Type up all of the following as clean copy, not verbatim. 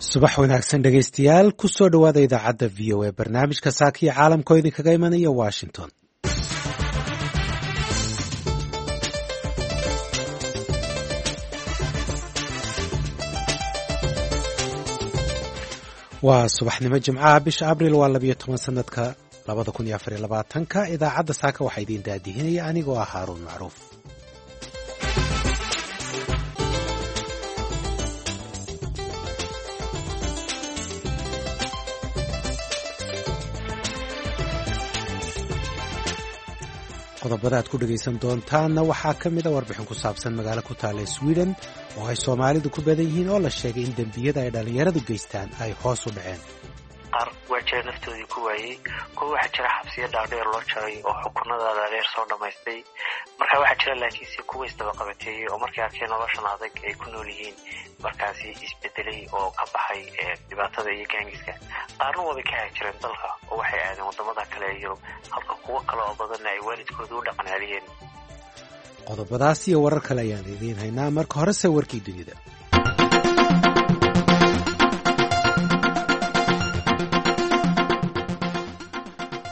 Subax wanaagsan, dhegaystayaal. Ku soo dhowaada idaacadda VOA, barnaamijka Saakiyo Caalamka oo idinkaga imanaya Washington. Waa subaxnimo Jimcaha, bisha Abril waa 12, sanadka 2024-ka. Idaacadda saaka waxaa idiin daadihinaya anigoo ah Haaruun Macruuf. Qodobada aad ku dhegaysan doontaanna waxaa ka mid a warbixin ku saabsan magaalo ku taalla Sweden oo ay Soomaalidu ku badan yihiin oo la sheegay in dembiyada ay dhallinyaradu geystaan ay hoos u dhaceen. Qaar waa jira naftoodii ku waayey, kuwa waxaa jira xabsiyo dhaadheer loo jaray oo xukunada dhaadheer soo dhammaystay. Marka waxaa jira laakiinse kuwa isdabaqabateeyey oo markay arkeen noloshan adag ay ku nool yihiin markaasi isbedelay oo ka baxay dhibaatada iyo gaangiska. Qaarna waabay ka haajireen dalka oo waxay aadeen waddamada kale ee Yurub, halka kuwo kale oo badanna ay waalidkooda u dhaqanceliyeen. Qodobadaas iyo warar kale ayaan idiin haynaa. Marka horese warkii dunida.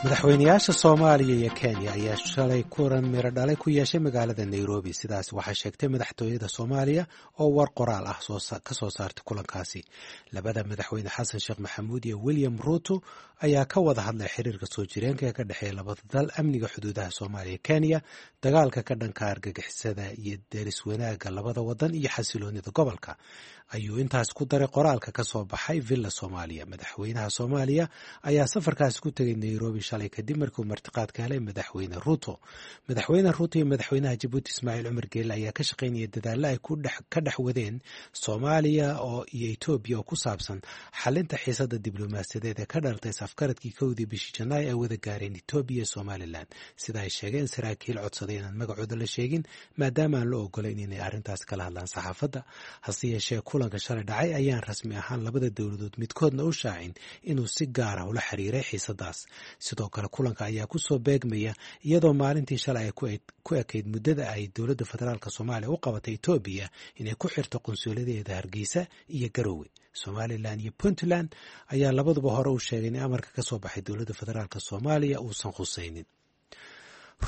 Madaxweynayaasha Soomaaliya iyo Kenya ayaa shalay kulan miro dhalay ku yeeshay magaalada Nairobi. Sidaas waxaa sheegtay madaxtooyada Soomaaliya oo war qoraal ah ka soo saartay kulankaasi. Labada madaxweyne, Xasan Sheekh Maxamuud iyo William Ruto, ayaa ka wada hadlay xiriirka soo jireenka ee ka dhexeeya labada dal, amniga xuduudaha Soomaaliya, Kenya, dagaalka ka dhanka argagixisada iyo deris wanaagga labada wadan iyo xasiloonida gobolka, ayuu intaas ku daray qoraalka ka soo baxay Villa Soomaaliya. Madaxweynaha Soomaaliya ayaa safarkaasi ku tegay Nairobi shalay kadib markiu martiqaad ka helay Madaxweyne Ruto. Madaxweyne Ruto iyo madaxweynaha Jabuuti Ismaaciil Cumar Geele ayaa ka shaqaynaya dadaalla ay ka dhex wadeen Soomaaliya oo iyo Etoobiya oo ku saabsan xalinta xiisada diblomaasiyadeed ee ka dhalatay safgaradkii 1dii bishii Janaay ay wada gaareen Etoobiya iyo Somalilan, sida ay sheegeen saraakiil codsaday inaan magacooda la sheegin maadaama aan la ogolayn inay arrintaas kala hadlaan saxaafadda. Hase yeeshee, kulanka shalay dhacay ayaan rasmi ahaan labada dowladood midkoodna u shaacin inuu si gaara ula xiriiray xiisadaas. Sidoo kale, kulanka ayaa kusoo beegmaya iyadoo maalintii shalay ay ku ekayd muddada ay dowladda federaalk Soomaaliya u qabatay Etoobiya inay ku xirto qunsuuladeeda Hargeysa iyo Garowe. Somalilan iyo Puntland ayaa labaduba hore u sheegay in amarka ka soo baxay dowladda federaalk Soomaaliya uusan khusaynin.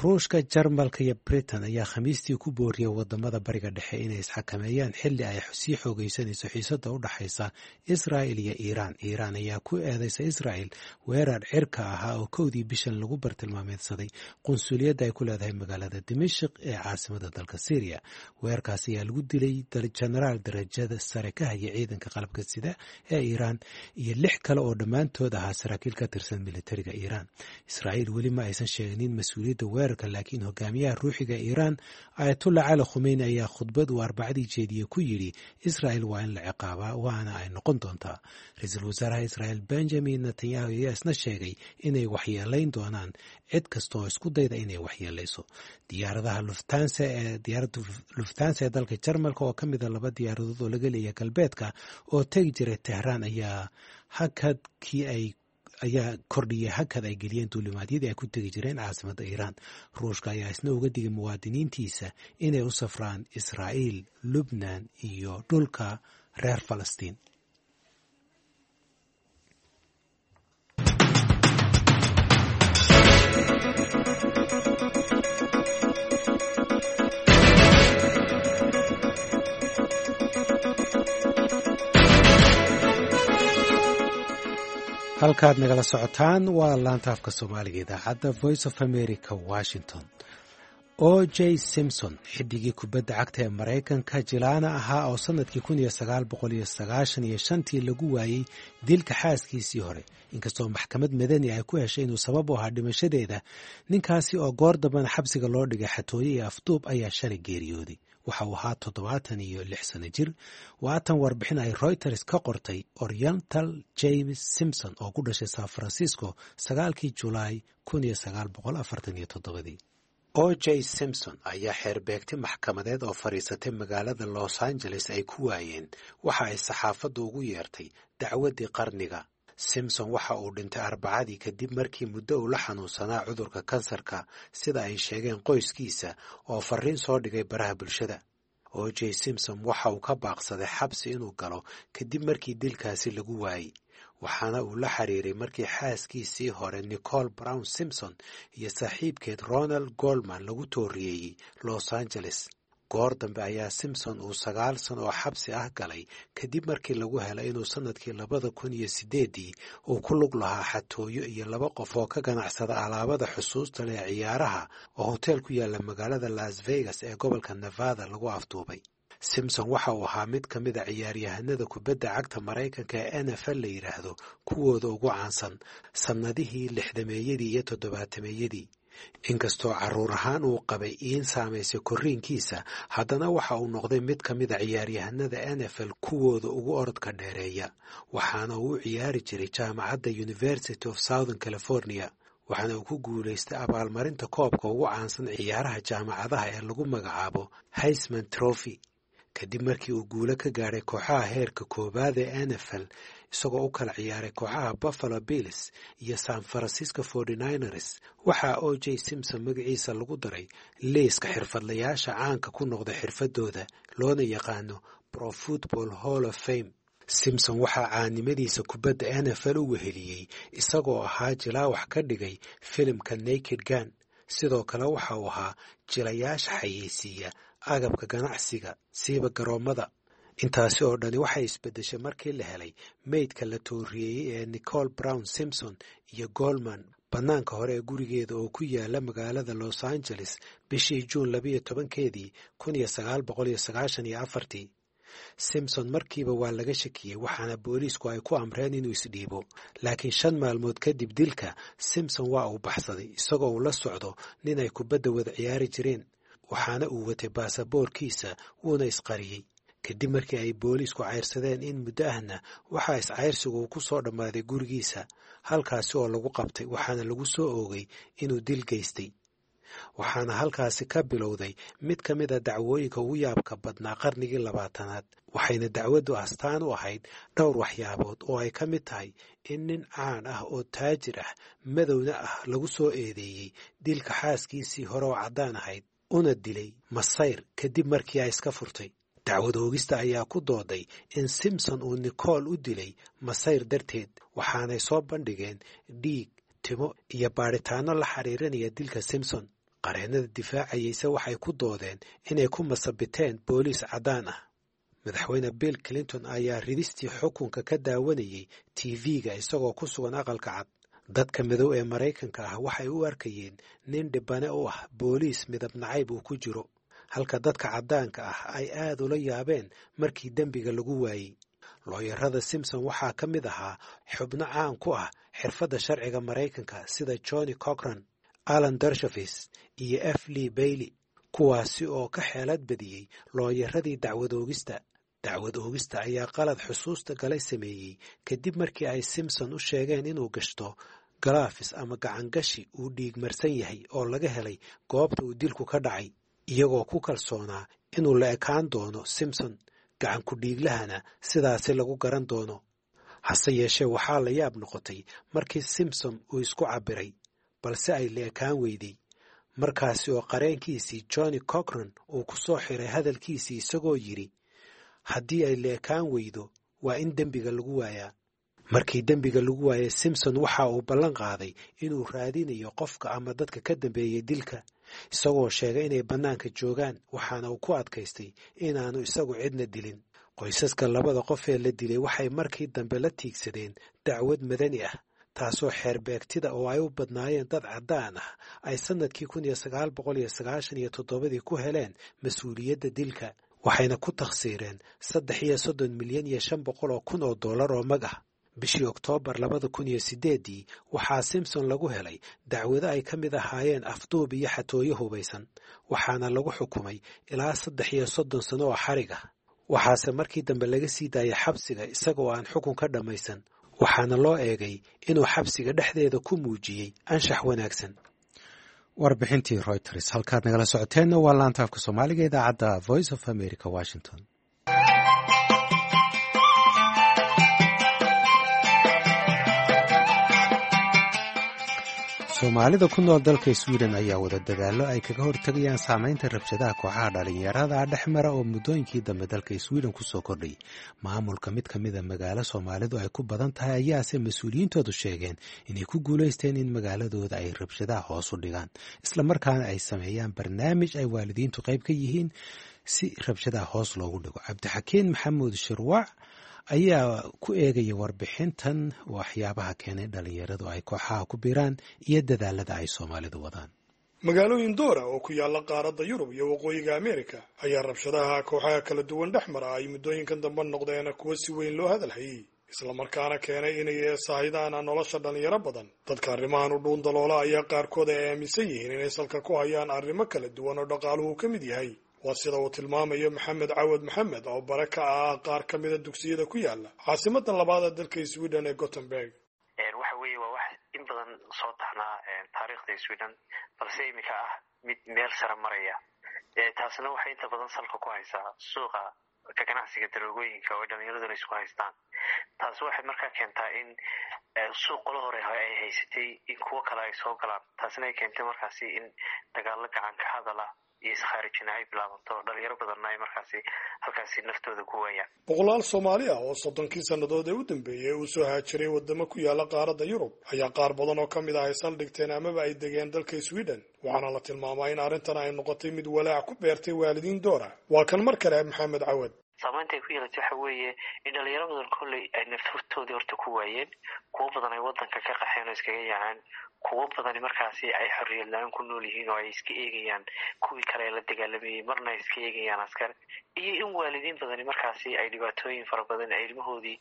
Ruushka, Jarmalka iyo Britain ayaa Khamiistii ku booriyay wadamada Bariga Dhexe inay isxakameeyaan xilli ay sii xoogeysanayso xiisada u dhaxaysa Israa'il iyo Iiraan. Iiraan ayaa ku eedeysa Israa'il weerar cirka ahaa oo 1dii bishan lagu bartilmaameedsaday qunsuliyadda ay ku leedahay magaalada Dimashik ee caasimada dalka Syriya. Weerarkaas ayaa lagu dilay jenaraal darajada sare ka haya ciidanka qalabka sida ee Iiraan iyo lix kale oo dhammaantood ahaa saraakiil ka tirsan militariga Iiraan. Israa'iil weli ma aysan sheeginin mas-uuliyadda weerarka, laakiin hogaamiyaha ruuxiga Iiraan, Ayatullah Cali Khumeyni, ayaa khudbad uu Arbacadii jeediyey ku yidhi Israa'il waa in la ciqaabaa, waana ay noqon doontaa. Ra-iisul wasaaraha Israa'il Benjamin Netanyahu ayaa isna sheegay inay waxyeelayn doonaan cid kasta oo isku dayda inay waxyeelayso. Diyaaradaha Luftanse ee diyaaradda Luftanse ee dalka Jarmalka, oo ka mida laba diyaaradood oo laga leeyahay galbeedka oo tegi jiray Tehraan, ayaa hakadkii ay ayaa kordhiyay hakad ay geliyeen duulimaadyadii ay ku tegi jireen caasimadda Iiraan. Ruushka ayaa isna uga digay muwaadiniintiisa inay u safraan Israa'iil, Lubnan iyo dhulka reer Falastiin. Halkaad nagala socotaan waa laanta afka Soomaaliga, idaacadda Voice of America, Washington. O J Simpson, xidigii kubadda cagta ee Maraykanka jilaana ahaa oo sanadkii 1995-tii lagu waayey dilka xaaskiisii hore, inkastoo maxkamad madani ay ku heshay inuu sabab u ahaa dhimashadeeda, ninkaasi oo goor dambana xabsiga loo dhigay xatooye iyo afduub, ayaa shalay geeriyooday. Waxa uu ahaa 76 sano jir. Waatan warbixin ay Reuters ka qortay Oriental James Simpson oo ku dhashay San Francisco 9-kii Julaay 1947-dii. O J Simpson ayaa xeerbeegtay maxkamadeed oo fadhiisatay magaalada Los Angeles ay ku waayeen waxa ay saxaafaddu ugu yeertay dacwaddii qarniga. Simpson waxa uu dhintay Arbacadii kadib markii muddo uu la xanuunsanaa cudurka kansarka, sida ay sheegeen qoyskiisa oo fariin soo dhigay baraha bulshada. O J Simpson waxa uu ka baaqsaday xabsi inuu galo kadib markii dilkaasi lagu waayey, waxaana uu la xiriiray markii xaaskiisii hore Nicole Brown Simpson iyo saaxiibkeed Ronald Goldman lagu tooriyeeyey Los Angeles. Goor dambe ayaa Simpson uu 9 sano oo xabsi ah galay kadib markii lagu helay inuu sannadkii 2008-dii uu ku lug lahaa xatooyo iyo 2 qof oo ka ganacsada alaabada xusuusta leh ciyaaraha oo hoteel ku yaala magaalada Las Vegas ee gobolka Nevada lagu afduubay. Simpson waxa uu ahaa mid ka mid a ciyaaryahanada kubadda cagta Maraykanka ee NFL la yidhaahdo kuwooda ugu caansan sannadihii 60-meeyadii iyo 70-meeyadii. Inkastoo carruur ahaan uu qabay iin saamaysay korriinkiisa, haddana waxa uu noqday mid ka mid a ciyaaryahanada NFL kuwooda ugu orodka dheereeya, waxaana uu u ciyaari jiray jaamacadda University of Southern California, waxaana uu ku guulaystay abaalmarinta koobka ugu caansan ciyaaraha jaamacadaha ee lagu magacaabo Heisman Trophy. Kadib markii uu guulo ka gaadhay kooxaha heerka koowaad ee NFL, isagoo u kala ciyaaray kooxaha Buffalo Bills iyo San Francisco 49ers, waxaa O J Simpson magaciisa lagu daray liiska xirfadlayaasha caanka ku noqda xirfadooda loona yaqaano Pro Football Hall of Fame. Simpson waxaa caanimadiisa kubadda NFL u weheliyey isagoo ahaa jilaawax ka dhigay filimka Naked Gun. Sidoo kale waxa uu ahaa jilayaasha xayeysiiya agabka ganacsiga siiba garoommada. Intaasi oo dhani waxay isbeddeshay markii la helay meydka la tooriyeeyey ee Nicole Brown Simpson iyo Goldman bannaanka hore ee gurigeeda oo ku yaala magaalada Los Angeles bishii Juun 12-keedii 1994. Simpson markiiba waa laga shakiyey, waxaana booliisku ay ku amreen inuu isdhiibo. Laakiin 5 maalmood kadib dilka, Simpson waa uu baxsaday isagoo uu la socdo nin ay kubadda wada ciyaari jireen, waxaana uu watay baasaboorkiisa wuuna isqariyey. Kadib markii ay booliisku cayrsadeen in muddo ahna, waxaa iscayrsigu uu ku soo dhammaaday gurigiisa, halkaasi oo lagu qabtay, waxaana lagu soo oogay inuu dil geystay. Waxaana halkaasi ka bilowday mid ka mid a dacwooyinka ugu yaabka badnaa qarnigii 20aad, waxayna dacwaddu astaan u ahayd dhowr waxyaabood oo ay ka mid tahay in nin caan ah oo taajir ah madowna ah lagu soo eedeeyey dilka xaaskiisii hore oo caddaan ahayd, una dilay masayr kadib markii ay iska furtay. Dacwad oogista ayaa ku dooday in Simpson uu Nicole u dilay masayr darteed, waxaanay soo bandhigeen dhiig, timo iyo baadhitaanno la xiriirinaya dilka Simpson. Qareennada difaacayeyse waxay ku doodeen inay ku masabiteen booliis caddaan ah. Madaxweyne Bill Clinton ayaa ridistii xukunka ka daawanayey TV-ga isagoo ku sugan aqalka cad. Dadka madow ee Maraykanka ah waxay u arkayeen nin dhibane u ah booliis midab nacayb uu ku jiro, halka dadka caddaanka ah ay aad ula yaabeen markii dembiga lagu waayey. Looyarada Simpson waxaa ka mid ahaa xubno caan ku ah xirfadda sharciga Maraykanka sida Johnny Cochran, Alan Dershowitz iyo F. Lee Bailey, kuwaasi oo ka xeelad badiyey looyaradii dacwad oogista. Dacwad oogista ayaa qalad xusuusta galay sameeyey kadib markii ay Simpson u sheegeen inuu gashto galaafis ama gacangashi uu dhiigmarsan yahay oo laga helay goobta uu dilku ka dhacay, iyagoo ku kalsoonaa inuu la ekaan doono Simpson, gacan ku-dhiiglahana sidaasi lagu garan doono. Hase yeeshee waxaa la yaab noqotay markii Simpson uu isku cabbiray, balse ay la ekaan weyday. Markaasi oo qareenkiisii Johnny Cochran uu ku soo xiray hadalkiisii isagoo yidhi, haddii ay la ekaan weydo waa in dembiga lagu waayaa. Markii dembiga lagu waayay, Simpson waxa uu ballan qaaday inuu raadinayo qofka ama dadka ka dambeeyey dilka, isagoo sheegay inay bannaanka joogaan, waxaana uu ku adkaystay inaanu isagu cidna dilin. Qoysaska labada qof ee la dilay waxay markii dambe la tiigsadeen dacwad madani ah, taasoo xeerbeegtida oo ay u badnaayeen dad caddaan ah ay sannadkii 1997-dii ku heleen mas-uuliyadda dilka, waxayna ku takhsiireen $33,500,000 oo mag ah. Bishii Oktoobar 2008-dii waxaa Simpson lagu helay dacwado ay ka mid ahaayeen afduub iyo xatooyo hubaysan, waxaana lagu xukumay ilaa 33 sano oo xarig ah. Waxaase markii dambe laga sii daayay xabsiga isagoo aan xukun ka dhammaysan, waxaana loo eegay inuu xabsiga dhexdeeda ku muujiyey anshax wanaagsan. Warbixintii Reuters halkaad nagala socoteenna waa laanta afka Soomaaliga idaacadda Voice of America, Washington. Soomaalida ku nool dalka Sweden ayaa wada dadaallo ay kaga hortegayaan saameynta rabshadaha kooxaha dhalinyarada dhex mara oo muddooyinkii dambe dalka Sweden kusoo kordhay. Maamulka mid ka mida magaalo Soomaalidu ay ku badan tahay ayaase mas-uuliyiintoodu sheegeen inay ku guulaysteen in magaaladooda ay rabshadaha hoos u dhigaan, islamarkaana ay sameeyaan barnaamij ay waalidiintu qayb ka yihiin si rabshadaha hoos loogu dhigo. Cabdixakiin Maxamuud Shirwac ayaa ku eegaya warbixintan waxyaabaha keenay dhalinyaradu ay kooxaha ku biiraan iyo dadaalada ay Soomaalidu wadaan. Magaalooyin doora oo ku yaalla qaaradda Yurub iyo Waqooyiga Ameerika ayaa rabshadaha kooxaha kala duwan dhex mara ay muddooyinkan dambe noqdeen kuwo si weyn loo hadalhayey, islamarkaana keenay inay saahidaan nolosha dhalinyaro badan. Dadka arrimahan u dhuun daloola ayaa qaarkood ay aaminsan yihiin inay salka ku hayaan arrimo kala duwan oo dhaqaaluhu ka mid yahay. Waa sida uu tilmaamayo Maxamed Cawad Maxamed oo bare ka ah qaar ka mida dugsiyada ku yaala caasimada labaad ee dalka Sweden ee Gothenburg. Waxa weeye waa wax in badan soo taxnaa taariikhda Sweden, balse iminka ah mid meel sare maraya. Taasna waxay inta badan salka ku haysaa suuqa ka ganacsiga daroogooyinka oo dhalinyaraduna isku haystaan. Taasi waxay markaa keentaa in suuq qolo hore ay haysatay in kuwo kale ay soo galaan, taasina ay keentay markaasi in dagaallo gacan ka hadala iyo iskhaarijina ay bilaabanto, dhalinyaro badanna ay markaasi halkaasi naftooda ku waayaan. Boqolaal Soomaali ah oo 30kii sannadood ee u dambeeyey uu soo haajiray waddamo ku yaala qaaradda Yurub ayaa qaar badan oo ka mid ah ay saldhigteen amaba ay degeen dalka Sweden, waxaana la tilmaamaa in arrintan ay noqotay mid walaac ku beertay waalidiin doora. Waa kan mar kale Maxamed Cawad. Saamaynta ay ku yeelatay waxa weeye in dhalinyaro badan kolley ay naftoodii horta ku waayeen, kuwo badan ay waddanka ka qaxeen oo iskaga yaaceen, kuwo badani markaasi ay xorriyad la-aan ku nool yihiin oo ay iska eegayaan kuwii kale ee la dagaalamayey, marna ay iska eegayaan askar, iyo in waalidiin badani markaasi ay dhibaatooyin fara badan ay ilmahoodii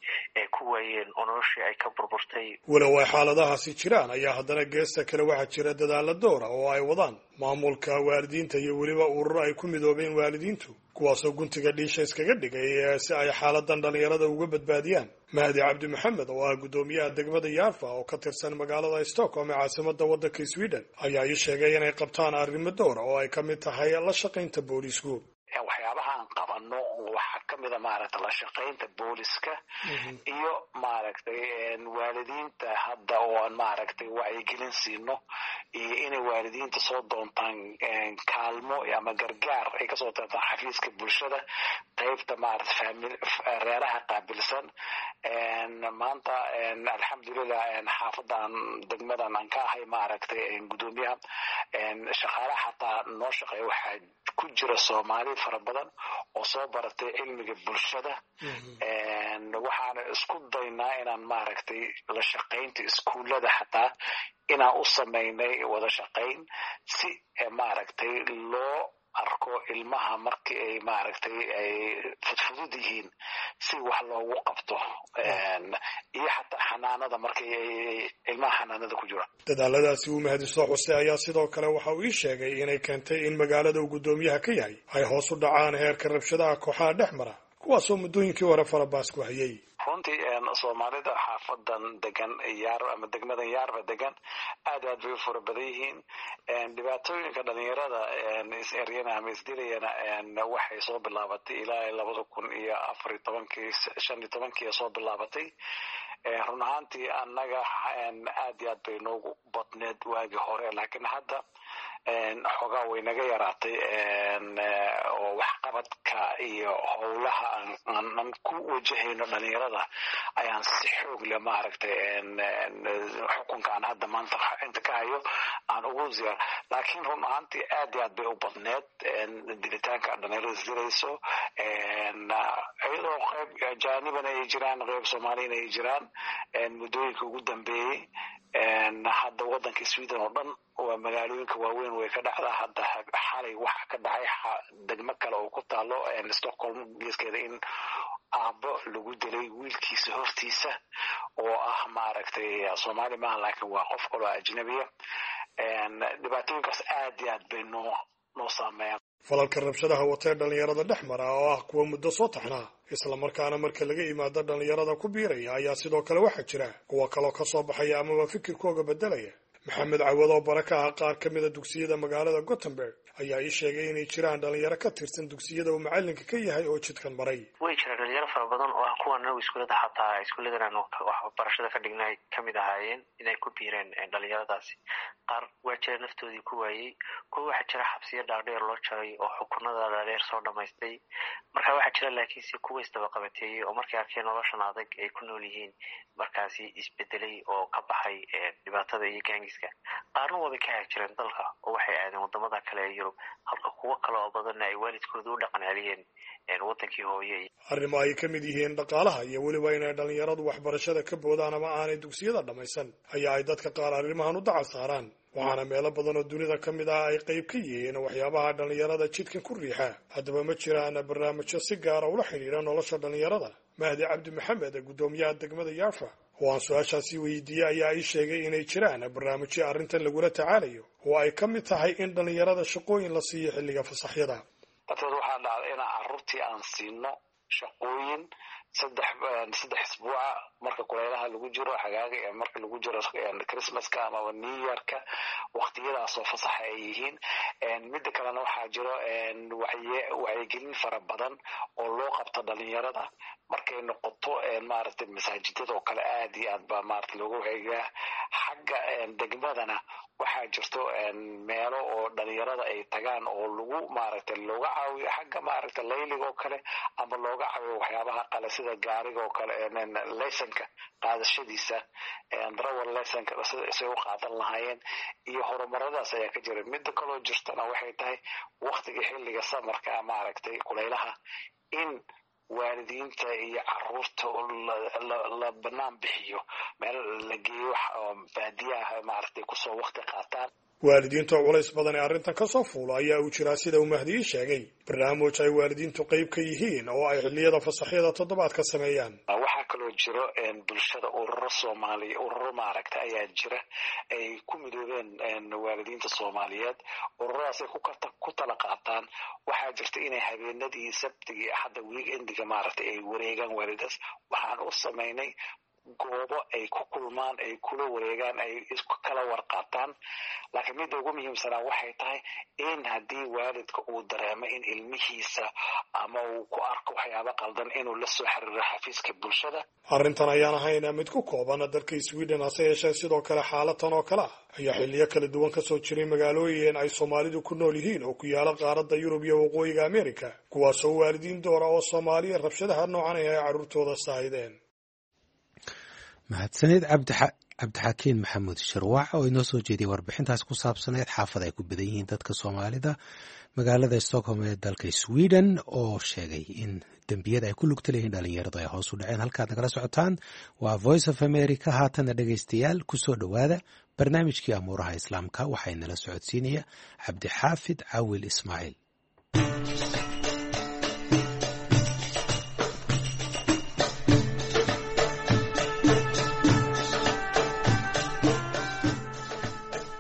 ku waayeen oo noloshii ay ka burburtay. Walow ay xaaladahaasi jiraan ayaa haddana geesta kale waxaa jira dadaalla doora oo ay wadaan maamulka, waalidiinta iyo weliba ururo ay ku midoobeen waalidiintu, kuwaasoo guntiga dhiisha iskaga dhigay si ay xaaladan dhalinyarada uga badbaadiyaan. Mahdi Cabdi Maxamed oo ah guddoomiyaha degmada Yaarfa oo ka tirsan magaalada Stockholm ee caasimada waddanka Sweden ayaa ii sheegay inay qabtaan arrimo doora oo ay ka mid tahay la shaqaynta booliisku. Waxyaabahaan qabano waxaa ka mida maaragtay la shaqaynta booliska iyo maaragtay waalidiinta hadda oo aan maaragtay wacyigelin siino, iyo inay waalidiinta soo doontaan kaalmo ama gargaar ay kasoo doontaan xafiiska bulshada qaybta maaragtay famil reeraha qaabilsan. Maanta alxamdulilah xaafadan degmadan aan ka ahay maaragtay guddoomiyaha, shaqaalaha xataa noo shaqeeya waxaa ku jira Soomaali fara badan oo soo baratay cilmiga bulshada. Waxaana isku daynaa inaan maaragtay la shaqaynta iskuullada xataa inaan u samaynay wada shaqayn si maaragtay loo arko ilmaha markii ay maaragtay ay fudfudud yihiin si wax loogu qabto, iyo xataa xanaanada markii ay ilmaha xanaanada ku jiraan. Dadaaladaasi uu Mahdi soo xusay ayaa sidoo kale waxa uu ii sheegay inay keentay in magaalada uu guddoomiyaha ka yahay ay hoos u dhacaan heerka rabshadaha kooxaha dhex mara, kuwaasoo muddooyinkii hore farabaas ku hayay. Runtii Soomaalida xaafadan degan Yaar ama degmadan Yaarba degan aad aad bay u fara badan yihiin. Dhibaatooyinka dhalinyarada is-eryana ama isdilayana waxay soo bilaabatay ilaa 2014kii, 15kii soo bilaabatay. Run ahaantii annaga aad iyo aad bay noogu badneed waagii hore, laakiin hadda xoogaa way naga yaraatay, oo waxqabadka iyo howlaha aan ku wajahayno dhalinyarada ayaan si xoog leh maaragtay xukunka aan hadda maanta inta ka hayo aan ugu ziyaar. Laakiin run ahaantii aad iyo aad bay u badneed dilitaanka dhalinyarada isdilayso, iyadoo qayb ajaanibana ay jiraan, qayb Soomaaliyana ay jiraan. Muddooyinka ugu dambeeyey hadda waddanka Sweden oo dhan waa magaalooyinka waaweyn way ka dhacdaa. Hadda xalay waxa ka dhacay degmo kale oo ku taalo Stockholm geeskeeda in aabbo lagu dilay wiilkiisa hortiisa oo ah maaragtay Soomaali maaha, laakiin waa qof kaloo ajnabiya. Dhibaatooyinkaas aad iyo aad bay noo saameeyaan. Falalka rabshadaha watee dhalinyarada dhex mara oo ah kuwa muddo soo taxnaa, islamarkaana marka laga yimaado dhalinyarada ku biiraya, ayaa sidoo kale waxaa jira kuwa kaloo ka soo baxaya amaba fikirkooga beddelaya. Maxamed Cawad oo bara ka ah qaar ka mida dugsiyada magaalada Gothenburg ayaa ii sheegay inay jiraan dhalinyaro ka tirsan dugsiyada uu macalinka ka yahay oo jidkan maray. Way jiraan dhalinyaro fara badan oo ah kuwan anagu iskuullada, xataa iskuulladan aanu waxbarashada ka dhignay kamid ahaayeen inay ku biireen dhalinyaradaasi. Qaar waa jira naftoodii ku waayey, kuwa waxaa jira xabsiyo dhaadheer loo jaray oo xukunada dhaadheer soo dhamaystay. Marka waxaa jira laakiinse kuwa isdabaqabateeyey oo markay arkeen noloshan adag ay ku nool yihiin markaasi isbedelay oo ka baxay dhibaatada iyo gaangiska. Qaarna waabay ka haajireen dalka oo waxay aadeen wadamada kale ee Yurub, halka kuwo kale oo badanna ay waalidkooda u dhaqan celiyeen wadankii hooye. Arrimo ay ka mid yihiin dhaqaalaha iyo weliba inay dhalinyaradu waxbarashada ka boodaan ama aanay dugsiyada dhammaysan ayaa ay dadka qaar arrimahan u dacal saaraan, waxaana meelo badan oo dunida ka mid ah ay qayb ka yihiin waxyaabaha dhalinyarada jidkan ku riixa. Haddaba ma jiraan barnaamijyo si gaara ula xidhiidha nolosha dhalinyarada? Mahdi Cabdi Maxamed, guddoomiyaha degmada Yaafa oo aan su-aashaasi weydiiyey, ayaa ii sheegay inay jiraan barnaamijyo arrintan lagula tacaalayo oo ay ka mid tahay in dhalinyarada shaqooyin la siiyo xilliga fasaxyada. Darteed waxaa dhacday inaan carruurtii aan siino shaqooyin 3 isbuuca marka kulaylaha lagu jiro xagaaga ee marka lagu jiro Christmaska amaba New Yearka, waqtiyadaasoo fasaxa ay yihiin. Midda kalena waxaa jiro wacyigelin fara badan oo loo qabto dhalinyarada markay noqoto maaragtay masaajidada oo kale, aad iyo aad baa maarata looga wacyigaa. Xagga degmadana waxaa jirto meelo oo dhalinyarada ay tagaan oo lagu maaragtay looga caawiyo xagga maaragtay layliga oo kale ama looga caawiyo waxyaabaha qale sida gaariga oo kale, laysanka qaadashadiisa, darawal laysanka say u qaadan lahaayeen iyo horumaradaas ayaa ka jira. Midda kaloo jirtana waxay tahay waktiga xilliga samarka, maaragtay kulaylaha, in waalidiinta iyo caruurta la banaan bixiyo, meel la geeyo baadiyaha maaragtay kusoo wakti qaataan. Waalidiinta oo culays badan ee arrintan ka soo fuula ayaa uu jiraa, sida uu Mahdiyi sheegay, barnaamij ay waalidiintu qayb ka yihiin oo ay xilliyada fasaxyada toddobaadka sameeyaan. Waxaa kaloo jiro bulshada ururo Soomaaliya, ururo maaragta ayaa jira ay ku midoobeen waalidiinta Soomaaliyeed. Ururadaas ay ku tala qaataan. Waxaa jirta inay habeenadii Sabtigii, Axadda, weekendiga maaragtay ay wareegaan waalidaas. Waxaan u samaynay goobo ay ku kulmaan, ay kula wareegaan, ay isku kala warqaataan. Laakiin midda ugu muhiimsanaa waxay tahay in haddii waalidka uu dareemo in ilmihiisa ama uu ku arko waxyaabo qaldan, inuu la soo xiriiro xafiiska bulshada. Arrintan ayaan ahayn mid ku kooban dalka Sweden, hase yeeshee sidoo kale xaalatan oo kale ah ayaa xilliyo kala duwan kasoo jiray magaalooyin ay Soomaalidu ku nool yihiin oo ku yaala qaaradda Yurub iyo waqooyiga America, kuwaasoo waalidiin doora oo Soomaaliya rabshadaha noocan ay carruurtooda saahideen. Mahadsanid Cabdixakiin Maxamuud Shirwaac oo inoo soo jeediyay warbixintaas ku saabsaneed xaafad ay ku badan yihiin dadka Soomaalida magaalada Stockholm ee dalka Sweden, oo sheegay in dembiyada ay ku lugta leeyihiin dhalinyaradu ay hoos u dhaceen. Halkaad nagala socotaan waa Voice of America. Haatana dhegaystayaal, kusoo dhowaada barnaamijkii amuuraha Islaamka. Waxaa inala socodsiinaya Cabdixaafid Cawil Ismaaciil.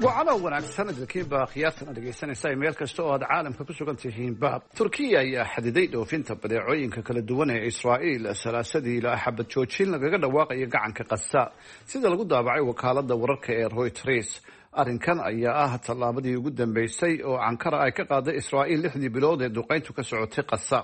Wacalow wanaagsan idinkiinba khiyaartan ad dhegaysanaysa meel kasta oo aad caalamka ku sugan tihiinba. Turkiya ayaa xadiday dhoofinta badeecooyinka kala duwan ee Israa'iil Salaasadii ilaa xabad joojin lagaga dhawaaqayo gacanka Qasa, sida lagu daabacay wakaalada wararka ee Reuters. Arrinkan ayaa ah tallaabadii ugu dambeysay oo Ankara ay ka qaaday Israa'iil 6dii bilood ee duqeyntu ka socotay Qasa.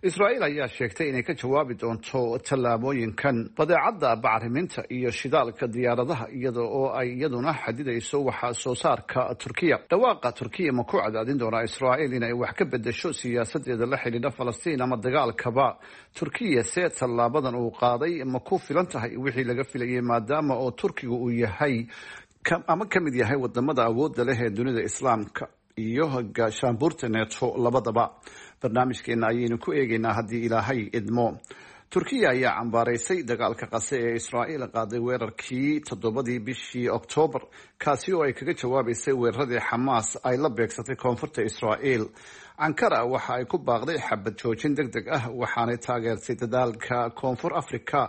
Israa'iil ayaa sheegtay inay ka jawaabi doonto tallaabooyinkan badeecadda bacriminta iyo shidaalka diyaaradaha, iyada oo ay iyaduna xadidayso waxa soo saarka Turkiya. Dhawaaqa Turkiya ma ku cadaadin doonaa Israa'iil inay wax ka bedesho siyaasadeeda la xidhiidha Falastiin ama dagaalkaba? Turkiya se tallaabadan uu qaaday ma ku filan tahay wixii laga filayay, maadaama oo Turkiga uu yahay ama ka mid yahay wadamada awoodda leh ee dunida Islaamka iyo gaashaanbuurta Neto labadaba? Barnaamijkeena ayaynu ku eegaynaa haddii Ilaahay idmo. Turkiya ayaa cambaaraysay dagaalka Qase ee Israa'iil qaaday weerarkii 7dii bishii Oktoobar, kaasi oo ay kaga jawaabaysay weeraradii Xamaas ay la beegsatay koonfurta Israa'iil. Ankara waxa ay ku baaqday xabad joojin deg deg ah, waxaanay taageertay dadaalka Koonfur Africa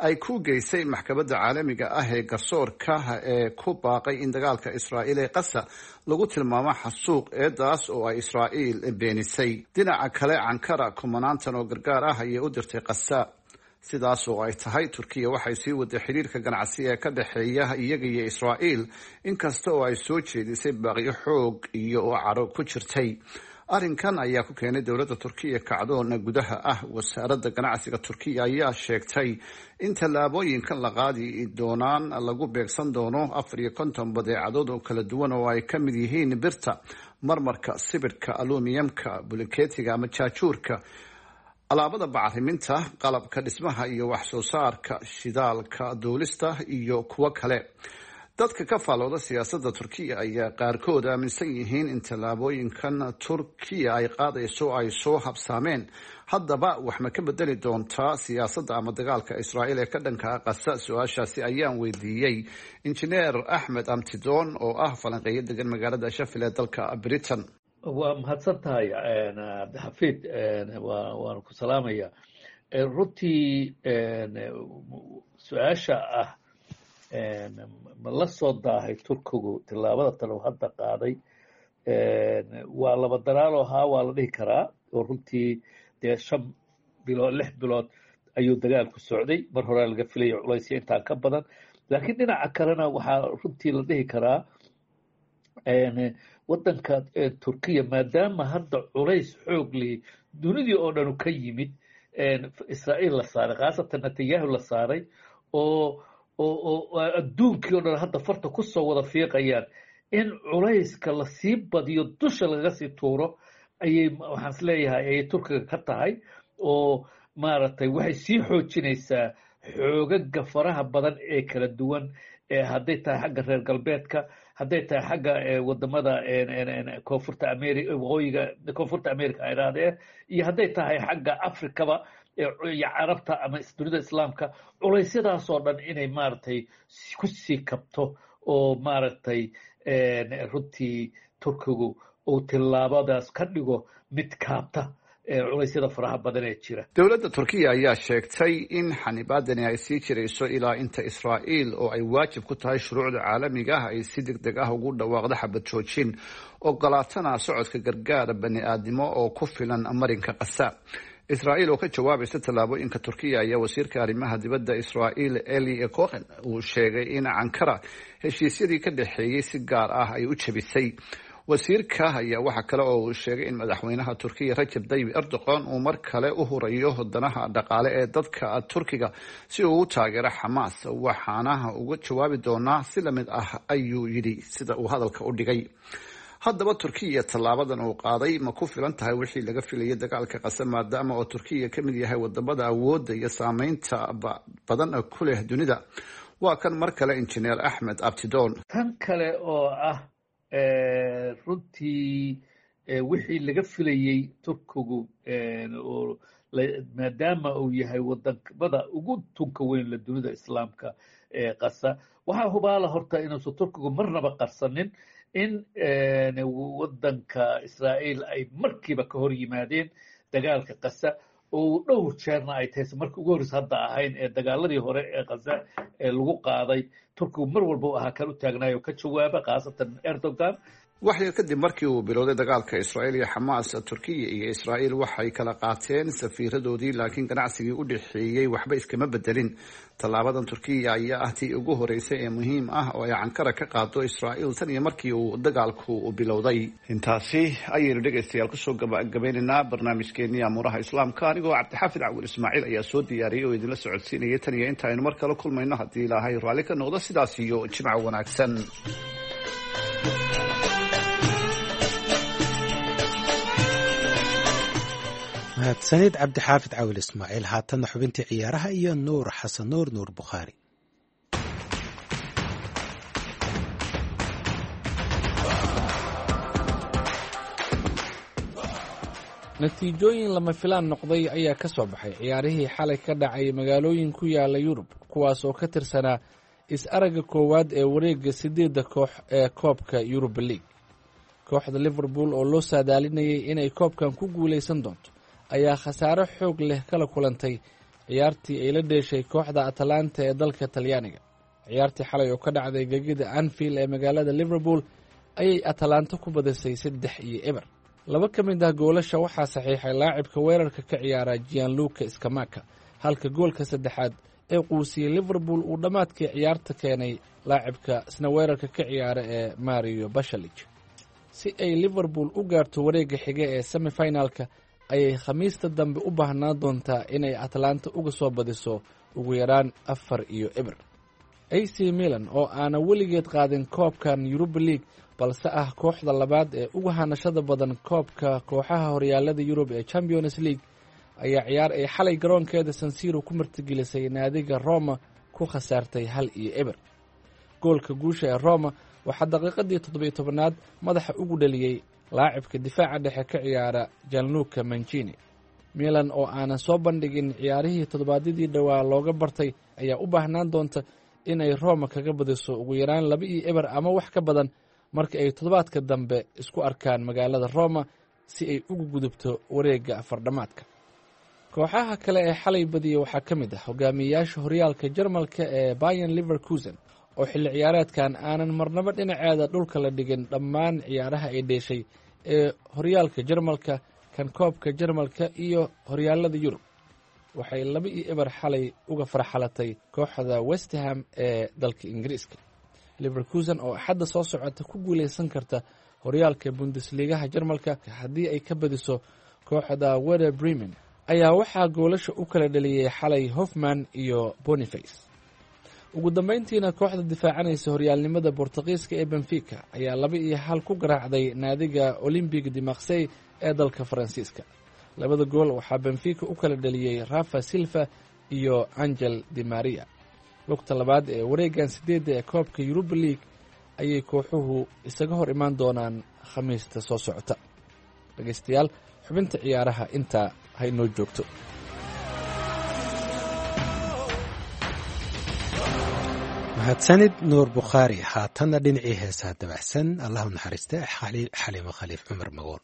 ay ku geysay maxkamadda caalamiga ah ee garsoorka ee ku baaqay in dagaalka Israa'iil ee Qasa lagu tilmaamo xasuuq, eedaas oo ay Israa'iil beenisay. Dhinaca kale, Ankara kumanaantan oo gargaar ah ayay u dirtay Qasa. Sidaas oo ay tahay, Turkiya waxay sii waday xiriirka ganacsi ee ka dhexeeya iyaga iyo Israa'iil, inkasta oo ay soo jeedisay baaqyo xoog iyo oo cadho ku jirtay. Arrinkan ayaa ku keenay dowladda Turkiya kacdoona gudaha ah. Wasaaradda ganacsiga Turkiya ayaa sheegtay in tallaabooyinkan la qaadi doonaan lagu beegsan doono 54 badeecadood oo kala duwan, oo ay ka mid yihiin birta, marmarka, sibirka, alumiyamka, bulikeetiga ama jaajuurka, alaabada bacriminta, qalabka dhismaha iyo wax soo saarka shidaalka, duulista iyo kuwo kale. Dadka ka faallooda siyaasadda Turkiya ayaa qaarkood aaminsan yihiin in tallaabooyinkan Turkiya ay qaadayso ay soo habsaameen. Haddaba, wax ma ka bedeli doontaa siyaasadda ama dagaalka Israa'iil ee ka dhanka Qasa? Su-aashaasi ayaan weydiiyey Injineer Axmed Amtidoon oo ah falanqeeyo degan magaalada Sheffield ee dalka Britain. Waa mahadsan tahay, Cabdixafiid, waan ku salaamaya. Runtii, su-aasha ah ma la soo daahay Turkigu tillaabada tan uu hadda qaaday, waa laba dalaalo haa waa la dhihi karaa, oo runtii dee 5 bilood, 6 bilood ayuu dagaalku socday. Mar horea laga filaya culaysya intaan ka badan, laakiin dhinaca kalena waxaa runtii la dhihi karaa waddanka Turkiya, maadaama hadda culays xoog lihi dunidii oo dhanu ka yimid Israa'iil la saaray, khaasatan Netanyahu la saaray, oo adduunkii o dhan hadda farta ku soo wada fiiqayaan, in culayska lasii badiyo, dusha lagaga sii tuuro ayay, waxaan is leeyahay, ayay Turkiga ka tahay, oo maaragtay waxay sii xoojinaysaa xoogaga faraha badan ee kala duwan, ee hadday tahay xagga reer galbeedka, hadday tahay xagga wadamada Koonfurta America, waqooyiga Koonfurta America ay idhaahdeen, iyo hadday tahay xagga Africaba iyo Carabta ama dunida Islaamka. Culaysyadaasoo dhan inay maaragtay ku sii kabto oo maaragtay runtii Turkigu uu tillaabadaas ka dhigo mid kaabta culaysyada faraha badan ee jira. Dowladda Turkiya ayaa sheegtay in xanibaadani ay sii jirayso ilaa inta Israa'iil, oo ay waajib ku tahay shuruucda caalamiga ah, ay si deg deg ah ugu dhawaaqdo xabad joojin, ogolaatana socodka gargaar bani aadnimo oo ku filan marinka Qasa. Israa'iil oo ka jawaabaysa tallaabooyinka Turkiya ayaa wasiirka arrimaha dibadda Israa'iil Eli Cohen uu sheegay in Ankara heshiisyadii ka dhexeeyey si gaar ah ay u jebisay. Wasiirka ayaa waxa kale oo uu sheegay in madaxweynaha Turkiya Rajab Tayyib Erdogan uu mar kale u hurayo danaha dhaqaale ee dadka Turkiga si uu u taageero Xamaas. Waxaana uga jawaabi doonaa si lamid ah, ayuu yidhi, sida uu hadalka u dhigay. Haddaba, Turkiya tallaabadan uu qaaday ma ku filan tahay wixii laga filayay dagaalka Qasa, maadaama oo Turkiya ka mid yahay wadamada awoodda iyo saameynta badan ku leh dunida? Waa kan mar kale Injineer Axmed Abtidoon. Tan kale oo ah runtii wixii laga filayey Turkigu, maadaama uu yahay wadamada ugu tunka weyn la dunida Islaamka ee Qasa, waxaa hubaala horta inuusan Turkigu marnaba qarsanin in waddanka Israa'iil ay markiiba ka hor yimaadeen dagaalka Qasa, oo dhowr jeerna ay tahay markii ugu horreysa hadda ahayn ee dagaaladii hore ee Qasa ee lagu qaaday, Turkigu mar walba u ahaa kan u taagnaay oo ka jawaaba, khaasatan Erdogan. Wax yar kadib markii uu bilowday dagaalka Israa'iil iyo Xamaas, Turkiya iyo Israa'iil waxay kala qaateen safiiradoodii, laakiin ganacsigii u dhexeeyey waxba iskama bedelin. Tallaabadan Turkiya ayaa ah tii ugu horeysay ee muhiim ah oo ay Ankara ka qaado Israa'iil tan iyo markii uu dagaalku bilowday. Intaasi ayaynu, dhegaystayaal, kusoo gabagabeynaynaa barnaamijkeenii amuuraha Islaamka. Anigoo Cabdixaafid Cawil Ismaaciil ayaa soo diyaariyey oo idinla socodsiinaya. Tan iyo inta aynu mar kale kulmayno, haddii Ilaahay raalli ka noqdo, sidaas iyo jimco wanaagsan. Mahadsanid, Cabdixaafid Cawil Ismaaciil. Haatanna xubintii ciyaaraha iyo Nuur Xasan Nuur, Nuur Bukhaari. Natiijooyin lama filaan noqday ayaa ka soo baxay ciyaarihii xalay ka dhacay magaalooyin ku yaala Yurub, kuwaas oo ka tirsanaa is-aragga koowaad ee wareegga siddeedda koox ee koobka Yuruba League. Kooxda Liverpool oo loo saadaalinayay inay koobkan ku guulaysan doonto ayaa khasaaro xoog leh kala kulantay ciyaartii ay la dheeshay kooxda Atalanta ee dalka Talyaaniga. Ciyaartii xalay oo ka dhacday gegida Anfield ee magaalada Liverpool ayay Atalanta ku badisay 3-0. Laba ka mid ah goolasha waxaa saxiixay laacibka weerarka ka ciyaara Gianluca Scamacca, Halka goolka saddexaad ee quusiyey Liverpool uu dhammaadkii ciyaarta keenay laacibka isna weerarka ka ciyaara ee Mario Bashalich. Si ay Liverpool u gaarto wareegga xiga ee semifinalka, ayay Khamiista dambe u baahnaan doontaa inay Atlanta uga soo badiso ugu yaraan 4-0. AC Milan oo aana weligeed qaadin koobkan Yuruba League, balse ah kooxda labaad ee uga hanashada badan koobka kooxaha horyaalada Yurub ee Champions League, ayaa ciyaar ay xalay garoonkeeda Sansiro ku martigelisay naadiga Roma ku khasaartay 1-0. Goolka guusha ee Roma waxaa daqiiqadii 17aad madaxa ugu dhaliyey laacibka difaaca dhexe ka ciyaara Janluka Mancini. Milan oo aanan soo bandhigin ciyaarihii toddobaadyadii dhowaa looga bartay ayaa u baahnaan doonta inay Roma kaga badiso ugu yaraan 2-0 ama wax ka badan marka ay toddobaadka dambe isku arkaan magaalada Roma, si ay ugu gudubto wareegga afardhammaadka. Kooxaha kale ee xalay badiyey waxaa ka mid ah hogaamiyeyaasha horyaalka Jarmalka ee Bayan Liverkusen, oo xilli ciyaareedkan aanan marnabo dhinaceeda dhulka la dhigin dhammaan ciyaaraha ay dheeshay ee horyaalka Jarmalka, kan koobka Jarmalka iyo horyaalada Yurub. Waxay 2-0 xalay uga farxalatay kooxda Westham ee dalka Ingiriiska. Liverkusen oo Axadda soo socota ku guuleysan karta horyaalka Bundesligaha Jarmalka haddii ay ka badiso kooxda Weder Bremen, ayaa waxaa goolasha u kala dhaliyey xalay Hofman iyo Boniface. Ugu dambeyntiina, kooxda difaacanaysa horyaalnimada Bortuqiiska ee Benfica ayaa 2-1 ku garaacday naadiga Olympic de Marsey ee dalka Faransiiska. Labada gool waxaa Benfica u kala dhaliyey Rafa Silva iyo Angel de Maria. Lugta labaad ee wareegan sideedda ee koobka Yuruba League ayay kooxuhu isaga hor imaan doonaan Khamiista soo socota. Dhegeystayaal, xubinta ciyaaraha intaa ha inoo joogto. Mahadsanid, Nuur Bukhaari. Haatanna dhinacii heesaha dabacsan. Allahu naxariiste Xaliimo Khaliif Cumar Magool.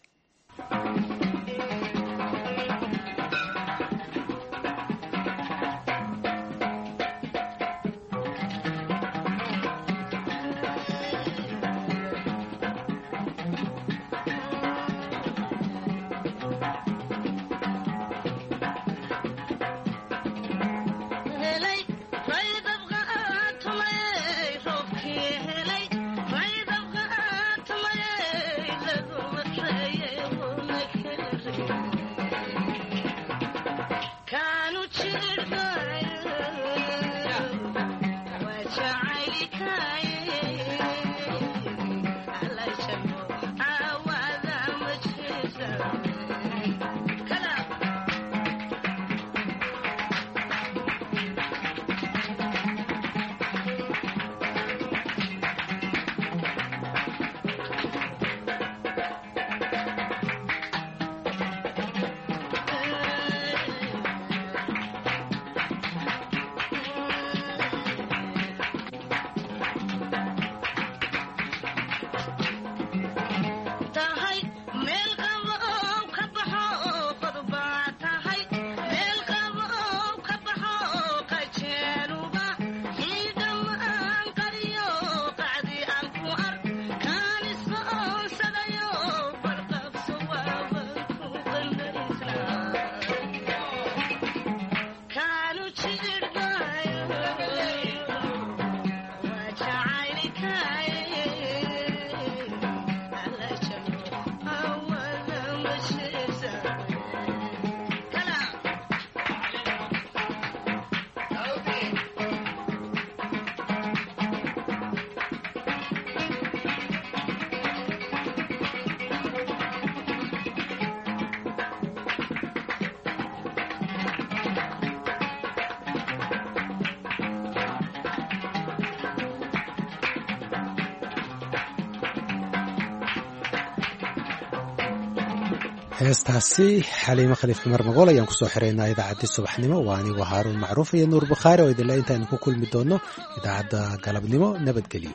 Heestaasi Xaliimo Khaliif Cumar Magool ayaan kusoo xiraynaa idaacaddii subaxnimo. Waa anigu Haaruun Macruuf iyo Nuur Bukhaari oo idinle intaaynu ku kulmi doonno idaacadda galabnimo, nabadgelyo.